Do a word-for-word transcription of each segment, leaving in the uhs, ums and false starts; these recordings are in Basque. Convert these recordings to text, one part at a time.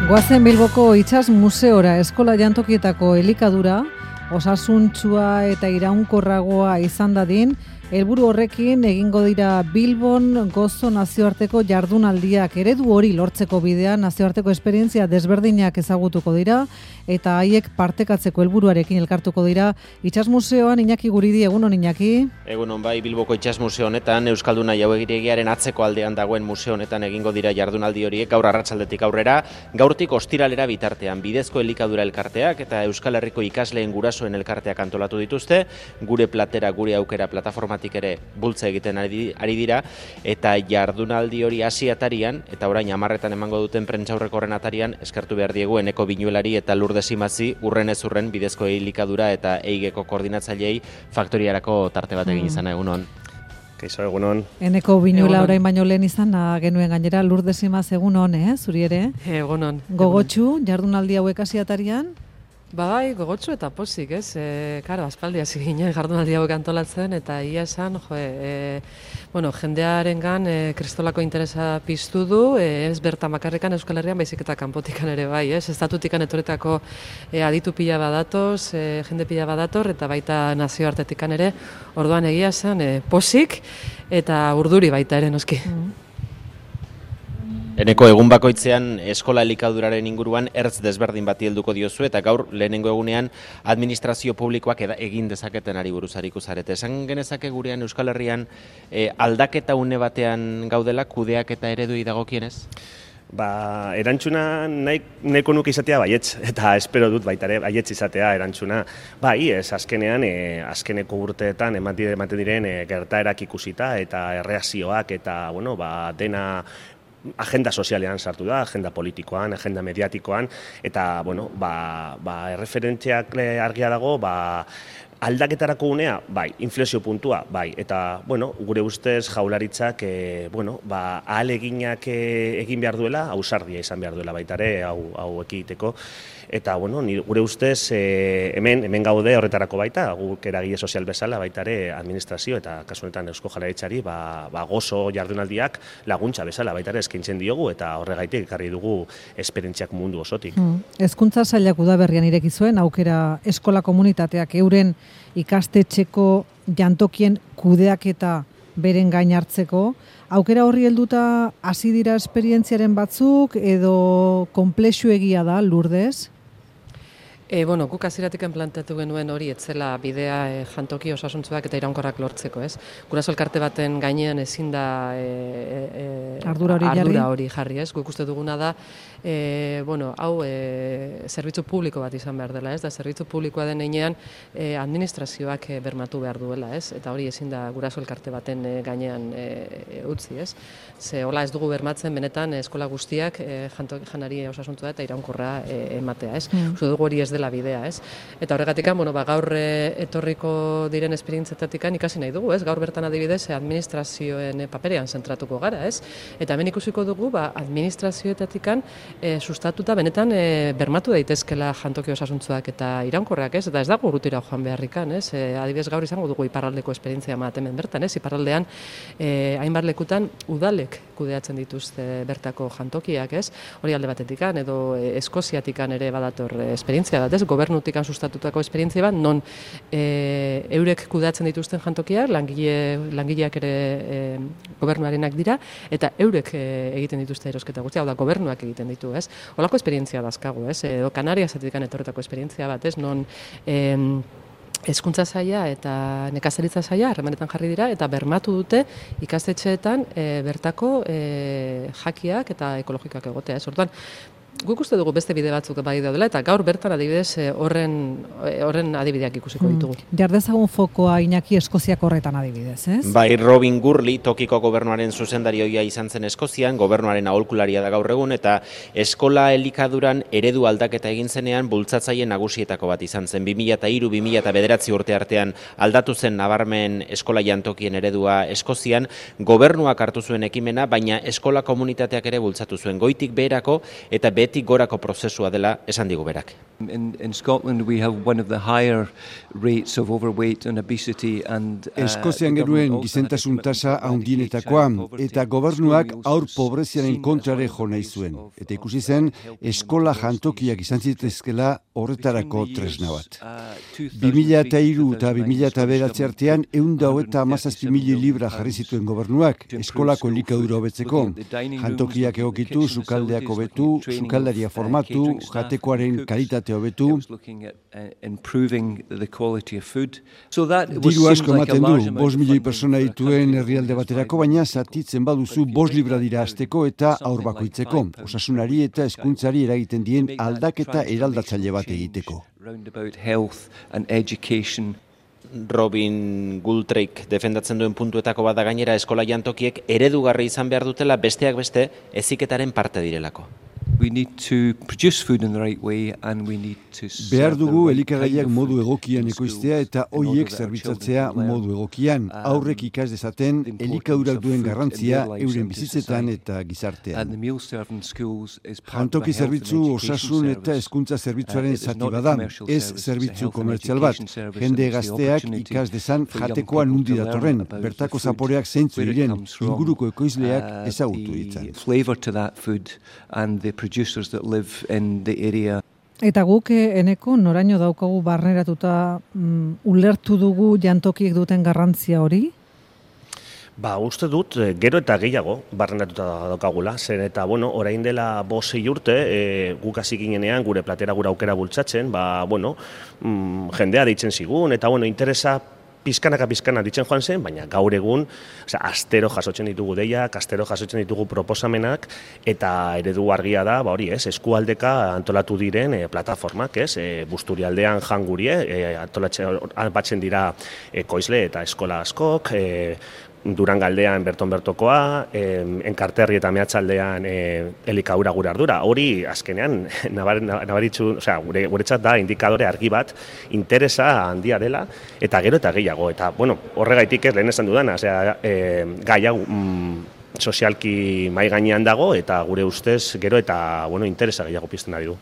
Goazen Bilboko Itsas Museora eskola jantokietako elikadura, osasuntsua eta iraunkorragoa izan dadin, helburu horrekin egingo dira Bilbon gozo nazioarteko jardunaldiak. Eredu hori lortzeko bidean nazioarteko esperientzia desberdinak ezagutuko dira eta haiek partekatzeko helburuarekin elkartuko dira. Itsas Museoan Iñaki Guridi, egunon Iñaki. Egunon bai, Bilboko Itsas Museo honetan Euskalduna Jauegiregiaren atzeko aldean dagoen museo honetan egingo dira jardunaldi horiek gaur arratsaldetik aurrera, gaurtik ostiralera bitartean bidezko elikadura elkarteak eta Euskal Herriko ikasleen gurasoen elkarteak antolatu dituzte, gure platera, gure aukera plataforma ere bultza egiten ari, ari dira, eta jardunaldi hori hasi atarian, eta orain hamarretan emango duten prentsaurreko horren atarian, eskertu behar diegu Eneko Binuelari eta Lourdes Imazi urren ez urren bidezko elikadura eta eigeko koordinatzaileei faktoriarako tarte bat egin izana. Egunon. Kaixo, egunon. Eneko Binuela orain baino lehen izan genuen gainera, Lourdes Imaz egunon, eh, zuri ere? Egunon. Gogotsu, jardunaldi hauek hasi atarian? Bai, gogotsu eta pozik, ez? E, karo, aspaldi hasi ginen jardunaldi hauek antolatzen, eta ia esan, jo, e, bueno, jendearengan e, kristolako interesa piztu du, e, ez bertan bakarrikan Euskal Herrian, baizik eta kanpotikan ere bai, ez? Estatutikan etoretako e, aditu pila badatoz, e, jende pila badator, eta baita nazioartetikan ere, orduan egia esan, e, pozik, eta urduri baita ere noski. Mm. Eneko egun bakoitzean eskola elikaduraren inguruan ertz desberdin bati helduko diozu eta gaur lehenengo egunean administrazio publikoak egin dezaketen ari buruz aritu zarete. Esan genezake gurean Euskal Herrian e, aldaketa une batean gaudela kudeak eta ereduei dagokienez? Ba, erantzuna nahi, nahiko nuke izatea baietz, eta espero dut baita ere baietz izatea erantzuna. Bai, ez, azkenean, e, azkeneko urteetan ematen diren e, gertaerak ikusita eta erreakzioak eta, bueno, ba, dena agenda sozialean sartu da, agenda politikoan, agenda mediatikoan, eta, bueno, ba, ba, erreferentziak argia dago, ba, aldaketarako unea, bai, inflexio puntua, bai, eta, bueno, gure ustez jaularitzak, e, bueno, ba, ahaleginak e, egin behar duela, ausardia izan behar duela baita ere, hau, hau ekiteko, eta, bueno, ni, gure ustez, e, hemen, hemen gaude horretarako baita, guk eragile sozial bezala, baita ere administrazio eta kasu honetan Eusko Jaurlaritzari, ba, ba, gozo jardunaldiak laguntza bezala, baita ere eskaintzen diogu, eta horregaitik ekarri dugu esperientziak mundu osotik. Hmm. Hezkuntza sailak udaberrian ireki zuen aukera eskola komunitateak euren ikastetxeko jantokien kudeaketa beren gain hartzeko. Aukera horri helduta hasi dira esperientziaren batzuk edo konplexuegia da, Lourdes? E, bueno, guk hasieratik planteatu genuen hori etzela bidea e, jantoki osasuntsuak eta iraunkorrak lortzeko, ez? Guraso elkarte baten gainean ezin da e, e, ardura hori jarri. Ardura hori jarri, ez? Guk uste duguna da, e, bueno, hau e, zerbitzu publiko bat izan behar dela, ez? Da zerbitzu publikoa den heinean e, administrazioak e, bermatu behar duela, ez? Eta hori ezin da guraso elkarte baten e, gainean e, utzi, ez? Ze hola ez dugu bermatzen benetan eskola guztiak e, jantoki janari osasuntsua eta iraunkorra e, ematea, ez? Mm. Uste dugu hori ez la bidea, ez? Eta horregatik, bueno, ba, gaur e, etorriko diren esperientzietatik ikasi nahi dugu, ez? Gaur bertan adibidez administrazioen paperean zentratuko gara, ez? Eta hemen ikusiko dugu, ba, administrazioetatik e, sustatuta benetan e, bermatu daitezkela jantoki osasuntzuak eta iraunkorrak, ez? Eta ez dago urrutira joan beharrikan, ez? E, adibidez gaur izango dugu iparraldeko esperientzia bat hemen bertan, ez? Iparraldean e, hainbat lekutan udalek kudeatzen dituzte bertako jantokiak, ez? Hori alde batetikan edo e, Eskoziatikan ere badator e, esperientzia bat, ez? Gobernutikan sustatutako esperientzia bat, non e, eurek kudeatzen dituzten jantokiak, langile, langileak ere e, gobernuarenak dira, eta eurek e, egiten dituzte erosketa guztia, hau da, gobernuak egiten ditu, ez? Holako esperientzia dazkagu, ez? Edo Kanariasetik etorretako esperientzia bat, ez? Non e, Hezkuntza saila eta nekazaritza saila harremanetan jarri dira eta bermatu dute ikastetxeetan e, bertako e, jakiak eta ekologikoak egotea, ez? Orduan, guk uste dugu beste bide batzuk bai daudela eta gaur bertan adibidez horren horren adibideak ikusiko ditugu. Hmm. Jardezagun fokoa Iñaki Eskoziak horretan adibidez, ez? Bai, Robin Gurley, tokiko gobernuaren zuzendarioia izan zen Eskozian, gobernuaren aholkularia da gaur egun, eta eskola elikaduran eredu aldaketa egin zenean bultzatzaile nagusietako bat izan zen. bi mila hiru bi mila bederatzi urte artean aldatu zen nabarmen eskola jantokien eredua Eskozian, gobernuak hartu zuen ekimena, baina eskola komunitateak ere bultzatu zuen goitik beherako eta bere behetik gorako prozesua dela esan digu berak. In, in Scotland we have one of the higher rates of overweight and obesity and uh, Eskozian geruen gizentasun tasa handienetakoa eta gobernuak haur pobreziaren kontrare jo nahi zuen. Eta ikusi zen eskola jantokiak izan zitezkela horretarako tresna bat. bi mila hiru eta bi mila bederatzi artean ehun eta hamazazpi mila libra jarri zituen gobernuak eskolako elikadura hobetzeko. Jantokiak egokitu, sukaldeak hobetu, sukaldaria formatu, jatekoaren kalitate hobetu. Diru asko ematen du, bost milioi persona dituen herrialde baterako, baina zatitzen baduzu bost libra dira hasteko eta aur bakoitzeko. Osasunari eta hezkuntzari eragiten dien aldaketa eraldatzaile bat egiteko. Robin Goodrich defendatzen duen puntuetako bat da gainera eskola jantokiek eredugarri izan behar dutela besteak beste heziketaren parte direlako. We need to produce food in the right way and we need to Behar dugu elikagaiak modu egokian ekoiztea eta hoiek zerbitzatzea modu egokian. Aurrek ikas dezaten elikadurak duen garrantzia euren bizitzetan eta gizartean. Jantoki zerbitzu osasun eta hezkuntza zerbitzuaren zati bada, ez zerbitzu komertzial bat. Jende gazteak ikas dezan jatekoa nundi datorren, bertako zaporeak zeintzu diren, inguruko ekoizleak ezagutu ditzan. Producers that live in the area. Eta guk eneko noraino daukagu barneratuta mm, ulertu dugu jantokiek duten garrantzia hori? Ba, uste dut, gero eta gehiago barrenatuta daukagula, zen eta, bueno, orain dela bosei urte, e, guk hasi ginenean gure platera gure aukera bultzatzen, ba, bueno, mm, jendea deitzen zigun, eta, bueno, interesa pizkanaka pizkana ditzen joan zen, baina gaur egun, osea, astero jasotzen ditugu deiak, astero jasotzen ditugu proposamenak, eta eredu argia da, ba hori ez, eskualdeka antolatu diren e, plataformak, ez, e, Busturialdean jangurie, e, antolatzen batzen dira ekoizle eta eskola askok, e, Durangaldean berton bertokoa, eh, Enkarterri eta Meatzaldean eh, elikaura gure ardura. Hori azkenean nabar, nabaritzu, osea, gure guretzat da indikadore argi bat, interesa handia dela eta gero eta gehiago. Eta bueno, horregaitik ez lehen esan dudana, osea, eh, gai hau mm, sozialki mai gainean dago eta gure ustez gero eta bueno, interesa gehiago pizten ari du.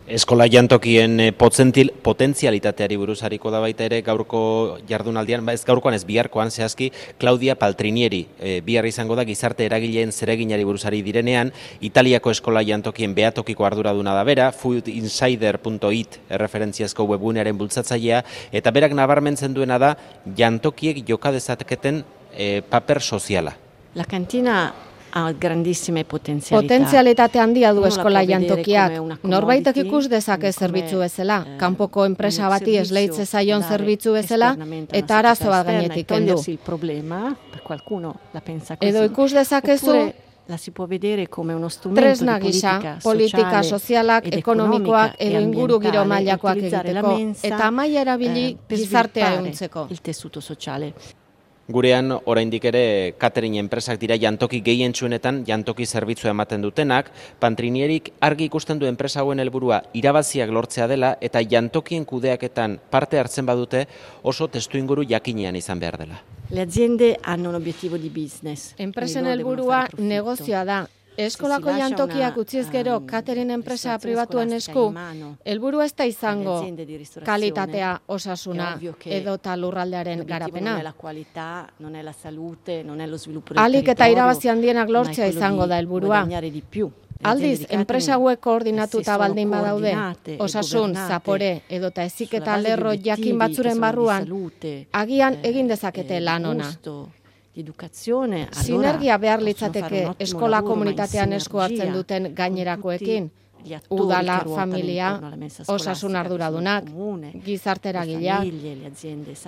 Eskola jantokien potentzialitateari buruz hariko da baita ere gaurko jardunaldian, ba ez gaurkoan ez biharkoan zehazki Claudia Paltrinieri e, bihar izango da gizarte eragileen zereginari buruzari direnean, Italiako eskola jantokien behatokiko arduraduna da bera, food insider punto it erreferentziazko webgunearen bultzatzailea, eta berak nabarmentzen duena da jantokiek joka dezaketen e, paper soziala. La cantina ha grandissime potenzialità. Potentzialitate handia du eskola jantokiak. Norbaitek ikus dezake zerbitzu bezala, kanpoko enpresa bati esleitze zaion zerbitzu bezala, eta arazo bat gainetik kendu. Edo ikus dezakezu tresna gisa, politika sozialak, ekonomikoak edo inguru giro mailakoak egiteko, eta maila erabili gizartea ehuntzeko. Gurean, oraindik ere, catering enpresak dira jantoki gehientsuenetan jantoki zerbitzua ematen dutenak, Paltrinierik argi ikusten du enpresa hauen helburua irabaziak lortzea dela eta jantokien kudeaketan parte hartzen badute oso testuinguru jakinean izan behar dela. Le aziende hanno un obiettivo di business. Enpresen helburua negozioa da. Eskolako jantokiak utziz gero catering enpresa pribatuen esku, helburu ez da izango kalitatea, osasuna edota lurraldearen garapena. Ahalik eta irabazi handienak lortzea izango da helburua. Aldiz, enpresa hauek koordinatuta baldin badaude, osasun, zapore edota heziketa lerro jakin batzuren barruan, agian egin dezakete lan ona. Sinergia behar litzateke eskola komunitatean esku hartzen duten gainerakoekin, udala, familia, osasun arduradunak, gizarte eragileak.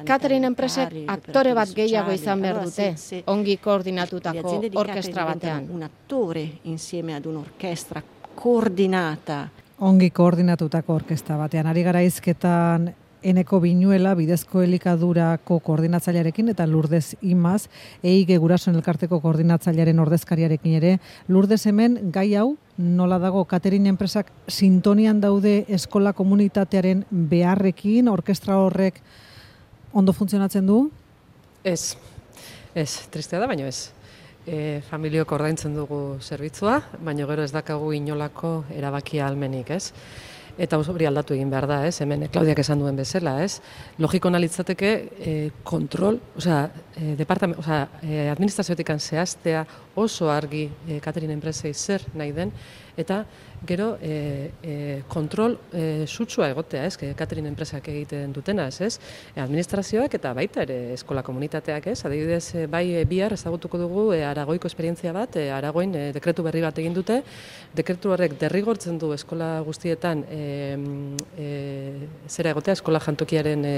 Catering enpresek aktore bat gehiago izan behar dute, ongi koordinatutako orkestra batean. Ongi koordinatutako orkestra batean. Ari gara hizketan Eneko Binuela, bidezko elikadurako koordinatzailearekin eta Lourdes Imaz, Eige Gurasoen elkarteko koordinatzailearen ordezkariarekin ere. Lourdes, hemen gai hau nola dago, catering enpresak sintonian daude eskola komunitatearen beharrekin, orkestra horrek ondo funtzionatzen du? Ez, ez, tristea da, baino ez. E, familiok ordaintzen dugu zerbitzua, baina gero ez dakagu inolako erabakia almenik, ez? Eta hori aldatu egin behar da, ez? Hemen Klaudiak esan duen bezala, ez? Logiko analitzateke e, kontrol, osea, e, departament, osea, e, administrazioetik zehaztea oso argi e, catering enpresei zer nahi den, eta gero e, e, kontrol e, sutsua egotea, ez? Catering enpresak egiten dutena, ez? ez? E, administrazioak eta baita ere eskola komunitateak, ez? Adibidez, e, bai e, bihar ezagutuko dugu e, Aragoiko esperientzia bat, e, Aragoin e, dekretu berri bat egin dute, dekretu horrek derrigortzen du eskola guztietan e, e, zera egotea, eskola jantokiaren e,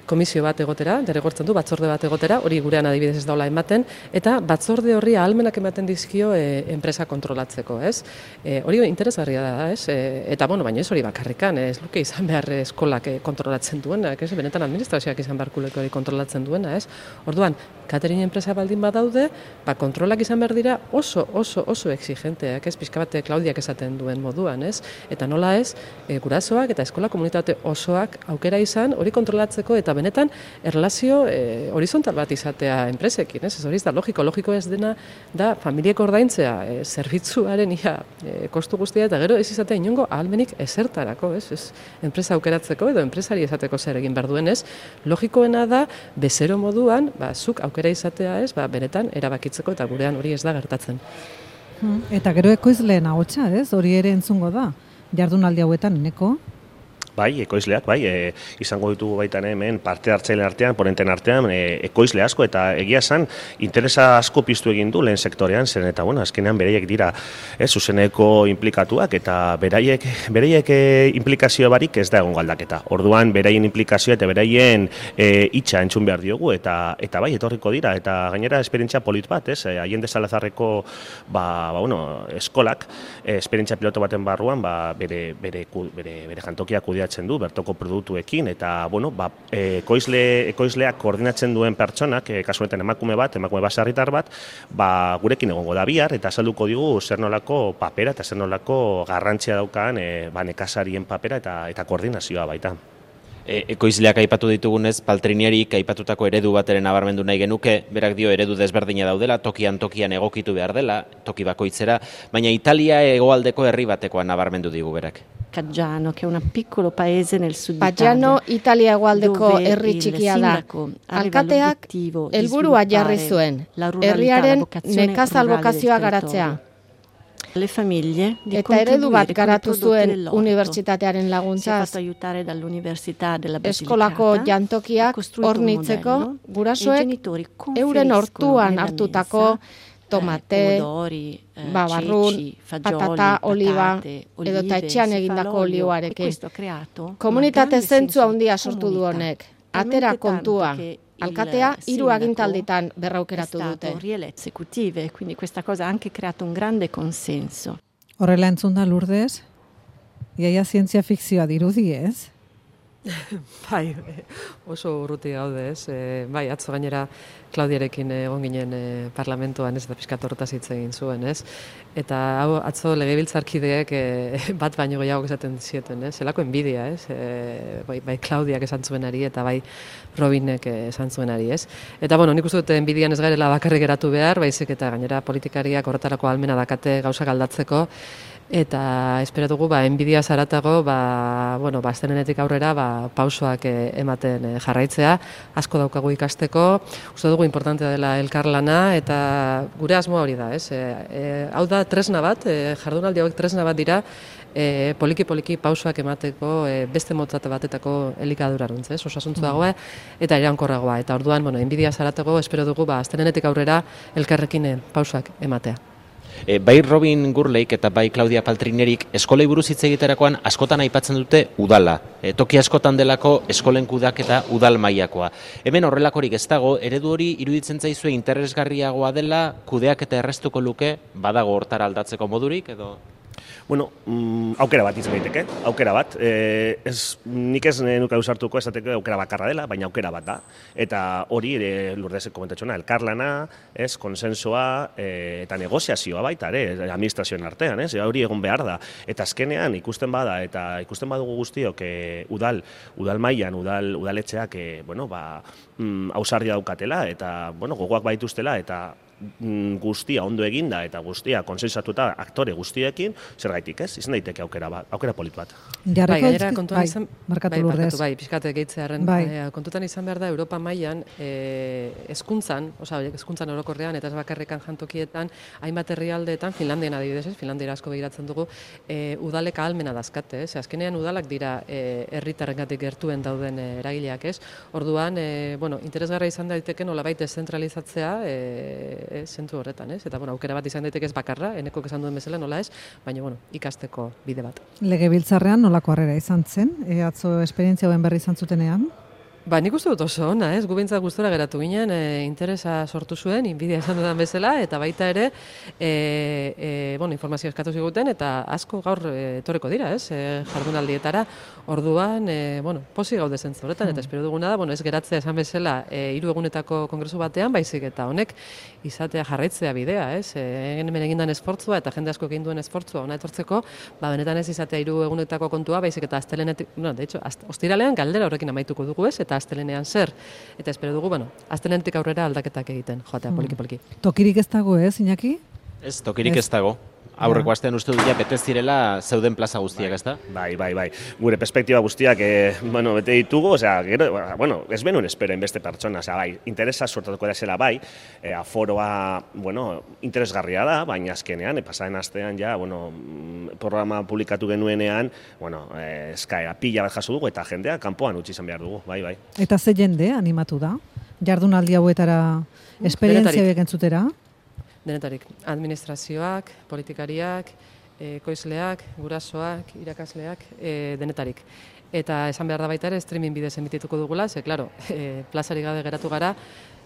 komisio bat egotera, derrigortzen du, batzorde bat egotera, hori gurean adibidez ez daula ematen, eta batzorde horri ahalmenak ematen dizkio e, enpresa kontrolatzeko, ez? E, hori interesgarria da, ez? E, eta, bueno, baina ez hori bakarrikan, ez luke izan behar eskolak kontrolatzen duena, ez? Benetan administrazioak izan beharkuleko hori kontrolatzen duena, ez? Orduan, catering enpresa baldin badaude, ba, kontrolak izan behar dira oso, oso, oso exigenteak, ez? Pixka bat Klaudiak esaten duen moduan, ez? Eta nola ez, e, gurasoak eta eskola komunitate osoak aukera izan hori kontrolatzeko eta benetan erlazio e, horizontal bat izatea enpresekin, ez? Ez hori ez da logiko, logiko ez dena da familiek ordaintzea e, zerbitzuaren ia e, kostu guztia eta gero ez izatea inongo ahalmenik ezertarako, ez? Ez enpresa aukeratzeko edo enpresari esateko zer egin behar duen, ez? Logikoena da bezero moduan, ba, zuk aukera izatea, ez? Ba, benetan erabakitzeko eta gurean hori ez da gertatzen. Eta gero ekoizleen ahotsa, ez? Hori ere entzungo da. Jardunaldi hauetan, Eneko? Bai, ekoizleak, bai, e, izango ditugu baitan hemen parte hartzaile artean, ponenten artean, e, ekoizle asko, eta egia esan, interesa asko piztu egin du lehen sektorean, zen eta, bueno, azkenean beraiek dira, ez, zuzeneko implikatuak, eta beraiek, beraiek e, implikazio barik ez da egon galdaketa. Orduan, beraien implikazioa eta beraien e, itxa entzun behar diogu, eta eta bai, etorriko dira, eta gainera esperientzia polit bat, ez, e, Allende Salazarreko, ba, ba, bueno, eskolak, e, esperientzia piloto baten barruan, ba, bere, bere, bere, bere jantokia kudeatzen du bertoko produktuekin eta bueno, ba, ekoizle, ekoizleak koordinatzen duen pertsonak, e, kasu honetan emakume bat, emakume baserritar bat, ba, gurekin egongo da bihar eta azalduko digu zer nolako papera eta zer nolako garrantzia daukan e, ba, nekazarien papera eta eta koordinazioa baita. E, ekoizleak aipatu ditugunez, Paltriniarik aipatutako eredu bateren nabarmendu nahi genuke, berak dio eredu desberdina daudela, tokian tokian egokitu behar dela, toki bakoitzera, baina Italia hegoaldeko herri batekoa nabarmendu digu berak. Caggiano, che è un piccolo paese nel sud Paggiano, Italia hegoaldeko herri txikia da. Alkateak helburua jarri zuen, herriaren nekazal bokazioa garatzea. Le famiglie di eta eredu bat garatu zuen unibertsitatearen laguntzaz. Eskolako jantokiak hornitzeko gurasoek euren hortuan hartutako tomate, babarrun, patata, oliba, edo eta etxean egindako olioarekin. Komunitate zentzu handia sortu du honek, atera kontua. Alkatea hiru agintalditan berraukeratu dute. Quindi questa cosa ha anche creato un grande consenso. Horrela entzun da Lourdes, iaia zientzia fikzioa dirudi, ez? Bai, oso urruti gaude, ez? E, bai, atzo gainera Klaudiarekin egon ginen e, parlamentuan, ez, eta pixkat horretaz hitz egin zuen, ez? Eta hau atzo legebiltzarkideek e, bat baino gehiago esaten zieten, ez? Zelako enbidia, ez? E, bai, bai Klaudiak esan zuenari eta bai Robinek esan zuenari, ez? Eta, bueno, nik uste dut enbidian ez garela bakarrik geratu behar, baizik eta gainera politikariak horretarako ahalmena dakate gauzak aldatzeko, eta espero dugu ba enbidia zaratago ba bueno ba aztenenetik aurrera ba pausoak e, ematen e, jarraitzea asko daukagu ikasteko uste dugu importantea dela elkarlana eta gure asmoa hori da ez e, e, hau da tresna bat e, jardunaldi hauek tresna bat dira e, poliki poliki pausoak emateko e, beste motzate batetako elikaduraruntz ez osasuntsua eta iraunkorragoa eta orduan bueno enbidia zaratago espero dugu ba aztenenetik aurrera elkarrekin e, pausoak ematea. E, bai Robin Gurleik eta bai Claudia Paltrinerik eskolei buruz hitz egiterakoan askotan aipatzen dute udala. E, toki askotan delako eskolen kudaketa udal mailakoa. Hemen horrelakorik ez dago, eredu hori iruditzen zaizue interesgarriagoa dela, kudeaketa errestuko luke, badago hortara aldatzeko modurik edo? Bueno, mm, aukera bat izan daiteke, aukera bat. E, ez, nik ez nuke ausartuko esateko aukera bakarra dela, baina aukera bat da. Eta hori ere Lourdesek komentatxona, elkarlana, ez, konsensoa e, eta negoziazioa baita, ere, administrazioen artean, ez, hori egon behar da. Eta azkenean ikusten bada, eta ikusten badugu guztiok e, udal, udal mailan, udal, udaletxeak, e, bueno, ba, mm, ausardia daukatela, eta, bueno, gogoak baituztela, eta guztia ondo eginda eta guztia konsensatuta aktore guztiekin, zergaitik ez, izan daiteke aukera bat, aukera polit bat. Bai, gainera kontuan bai, izan, markatu bai, lurdez. markatu, bai, pixkate gehitzearen, Bai. eh, kontutan izan behar da Europa mailan eh, hezkuntzan, osea, hezkuntzan orokorrean eta ez bakarrekan jantokietan, hainbat herrialdeetan, Finlandian adibidez, ez, Finlandiara asko begiratzen dugu, eh, udalek ahalmena dazkate, ez, azkenean udalak dira eh, herritarrengatik gertuen dauden eh, eragileak, ez, orduan, eh, bueno, interesgarra izan daiteke nolabait deszentralizatzea eh, eh, zentzu horretan, ez, eta bueno, aukera bat izan daiteke ez bakarra, enekok esan duen bezala nola ez, baina bueno, ikasteko bide bat. Legebiltzarrean nolako harrera izan zen, e, atzo esperientzia hoen berri izan zutenean? Ba, nik uste dut oso ona, ez? Gu behintzat gustura geratu ginen, e, interesa sortu zuen, inbidia esan dudan bezala, eta baita ere, e, e, bueno, informazio eskatu ziguten, eta asko gaur e, etorreko dira, ez? E, jardunaldietara, orduan, e, bueno, posi gaude zentzu horretan, eta espero duguna da, bueno, ez geratzea esan bezala, e, hiru egunetako kongresu batean, baizik eta honek izatea jarraitzea bidea, ez? E, hemen egindan esfortzua, eta jende asko egin duen esfortzua ona etortzeko, ba, benetan ez izatea hiru egunetako kontua, baizik eta astelenetik, no, de hecho, ostiralean galdera horrekin amaituko dugu, ez? Eta astelenean zer, eta espero dugu, bueno, astelenetik aurrera aldaketak egiten, joatea, poliki-poliki. Tokirik ez dago, ez, Iñaki? Ez, tokirik ez dago. Aurreko astean uste dut ja bete zirela zeuden plaza guztiak, ezta? Bai, bai, bai. Gure perspektiba guztiak, eh, bueno, bete ditugu, osea, gero, bueno, ez benuen espero beste pertsona, osea, bai, interesa sortatuko da zela bai, eh, aforoa, bueno, interesgarria da, baina azkenean, eh, pasaren astean ja, bueno, programa publikatu genuenean, bueno, eh, eskaera pila bat jaso dugu eta jendea kanpoan utzi izan behar dugu, bai, bai. Eta ze jende animatu da? Jardunaldi hauetara esperientzia bekentzutera? Denetarik, administrazioak, politikariak, ekoizleak, gurasoak, irakasleak, e, denetarik. Eta esan behar da baita ere, streaming bidez emitituko dugula, ze, klaro, e, plazari gabe geratu gara,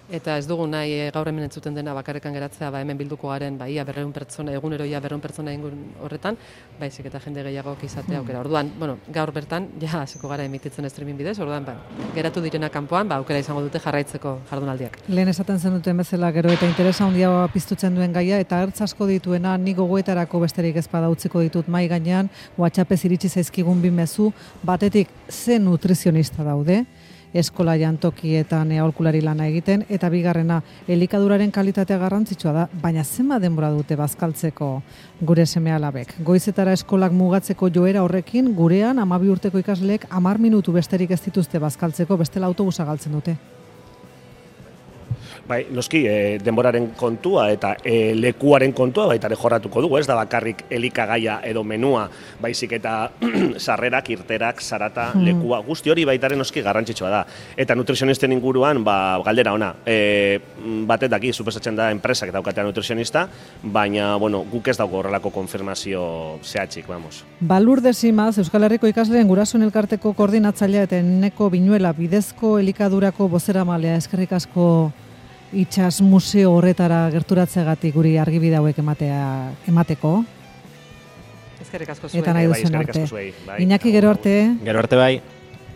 eta ez dugu nahi e, gaur hemen entzuten dena bakarrekan geratzea, ba, hemen bilduko garen, ba, ia berreun pertsona, egunero ia berreun pertsona ingun horretan, baizik eta jende gehiagok izatea aukera. Orduan, bueno, gaur bertan, ja, hasiko gara emititzen streaming bidez, orduan, ba, geratu direna kanpoan, ba, aukera izango dute jarraitzeko jardunaldiak. Lehen esaten zen duten bezala gero eta interesa handia piztutzen duen gaia, eta ertz asko dituena, ni gogoetarako besterik ez bada utziko ditut mai gainean, WhatsAppez iritsi zaizkigun bi mezu, batetik ze nutrizionista daude, eskola jantokietan aholkulari lana egiten, eta bigarrena, elikaduraren kalitatea garrantzitsua da, baina zenba denbora dute bazkaltzeko gure seme-alabek. Goizetara eskolak mugatzeko joera horrekin, gurean hamabi urteko ikasleek hamar minutu besterik ez dituzte bazkaltzeko, bestela autobusa galtzen dute. Bai, noski, e, denboraren kontua eta e, lekuaren kontua baita ere jorratuko dugu, ez da bakarrik elikagaia edo menua, baizik eta sarrerak, irterak, zarata, hmm. lekua, guzti hori baitaren noski garrantzitsua da. Eta nutrizionisten inguruan, ba, galdera ona, e, batet daki, suposatzen da enpresak daukatea nutrizionista, baina, bueno, guk ez dago horrelako konfirmazio zehatzik, vamos. Balur desimaz, Euskal Herriko ikasleen gurasoen elkarteko koordinatzailea eta Eneko Binuela bidezko elikadurako bozeramalea, eskerrik asko Itsas museo horretara gerturatzegatik guri argibide hauek ematea emateko. Eskerrik asko zuei. Eta nahi duzen arte. Iñaki, gero arte. Gero arte bai.